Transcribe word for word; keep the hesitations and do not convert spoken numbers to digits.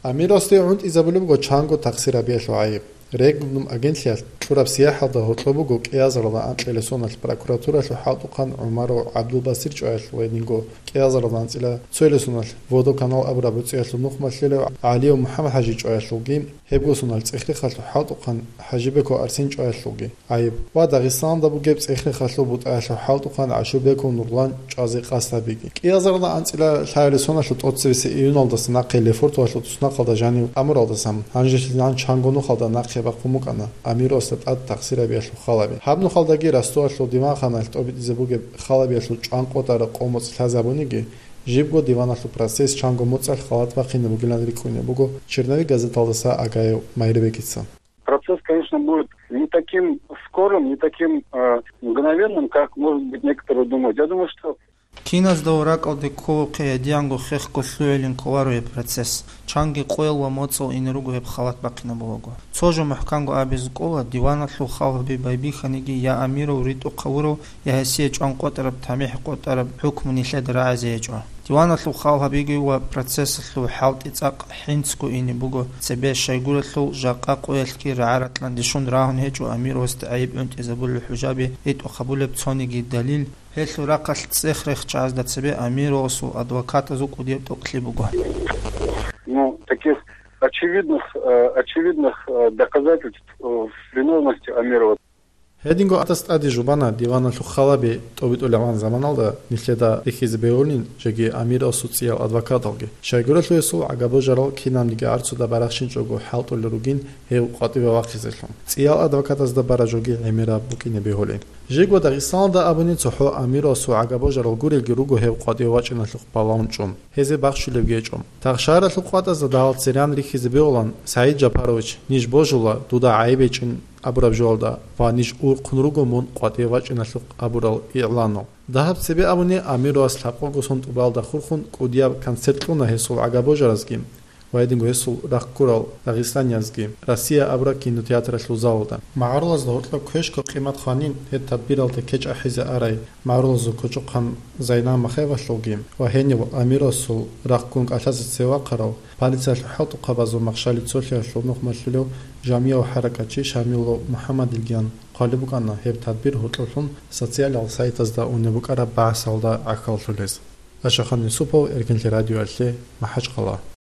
Амиросде гӀунтӀизабулеб буго чанго такъсир гьабиялъул гӀайиб. Регнум агентлъиялъ кьураб сияхӀалда гьоркьоб буго кӀиазаралда анкьила соналъ прокуратуралъул хӀалтӀухъан ГӀумаров ГӀабдулбасир чӀваялъул ва гьединго кӀиазаралда анцӀила цоялъул соналъ Водоканал абураб гӀуцӀиялъул нухмалъилев ГӀалиев МухӀаммад-хӀажи чӀваялъулги, гьебго соналъ ЦӀехрехалъул хӀалтӀухъан ХӀажибеков Арсен чӀваялъулги гӀайиб ва Дагъистаналда бугеб ЦӀехрехалъул БутӀаялъул хӀалтӀухъан ГӀашурбеков Нурлан чӀвазе къасд гьабиги. КӀиазаралда анцӀила лъабабилеб соналъул тӀоцебесеб июналдаса нахъе Лефортовалъул туснахъалда жанив амуралдасан, гьанжелъидал чанго нухалда нахъе бахъун букӀана Амиросда тӀад такъсир гьабиялъул халаби. Гьаб нухалдаги Ростовалъул диванханалъ тӀобитӀизе бугеб халабиялъул чӀванкъотӀараб къо-моцӀ лъазабуниги, жибго диваналъул процесс чанго моцӀалъ халат бахъине бугилан рикӀкӀунеб буго Черновик газеталдаса Агаев Майрбекица. Процесс, конечно, будет не таким скорым, не таким э, мгновенным, как, может быть, некоторые думают. Я думаю, что Киназда ва ракӀалде кколухъе гьедиянго хехго лъугӀилин кколаро гьеб процесс. Чанги къоял ва моцӀал ине руго гьеб халат бахъинабулаго. Цо жо мухӀканго абизе кӀола, диваналъул халаби байбихьаниги я Амиров ритӀухъ гьавурав, я гьесие чӀванкъотӀараб, тамихӀ къотӀараб хӀукму нилъеда рагӀизе гьечӀо. Диваналъул халаби ва процессалъул хӀалтӀи цӀакъ хӀинцго ине буго цебе, щайгурелъул жакъа къоялъги рагӀа-ратӀлъан дишун рагьун гьечӀо Амировасда гӀайиб гӀунтӀизабулел хӀужаби ритӀухъ гьабулеб цониги далил, гьелъул рахъалъ ЦӀехрехчагӀазда цебе Амировасул адвокатазул кӀудияб тӀокӀлъи буго. Ну, таких очевидных, э, очевидных э, доказательств э, виновности Амирова. Гьединго атас тӀаде жубана диваналъул халаби тӀобитӀулебгӀан заманалда нилъеда рихьизе бегьулин жеги Амировасул цӀиял адвокаталги. Щайгурелъул гьесул гӀагабожарал кинабниги гӀарцуда барахщинчӀого хӀалтӀулел ругин гьев къватӀиве вахъизелъул. ЦӀиял адвокатазда бара жоги гӀемераб букӀине бегьулин. Жего Дагъистаналда абуни цохӀо Амировасул гӀагабожарал гурелги руго гьев къватӀиве вачӀиналъухъ балагьун чӀун. Гьезе бахщулебги гьечӀо. Тахшаралъул къватӀазда дагьал цереян рихьизе бегьулан, СагӀид Жапарович, ниж божула, дуда гӀайиб гьечӀин абураб жоялда ва ниж урхъун руго мун къватӀиве вачӀиналъухъ абурал игӀланал. Дагьаб цебе абуни Амировас лъабкъого сон тӀубалда хурхун кӀудияб концерт кьуна гьесул гӀагабожаразги ва гьединго гьесул рахъ ккурал дагъистаниязги «Россия» абураб кинотеатралъул залалда. МагӀарулазда гьоркьоб квешго къимат хванин гьеб тадбиралде кечӀ ахӀизе арай магӀарулазул кочӀохъан Зайнаб Махаевалъулги ва гьенив Амировасул рахъ ккун кӀалъазе цеве вахъарав полициялъул хӀалтӀухъабазул махщали цолъиялъул нухмалъулев жамияв хӀаракатчи Шамилов МухӀаммадилгиян хъвалеб букӀана гьеб тадбир гьоркьоблъун социалал сайтазда унеб букӀараб багӀасалда гӀахьаллъулез. Ашахан Юсупов, Эркинлъи радиоялъе, МахӀачхъала.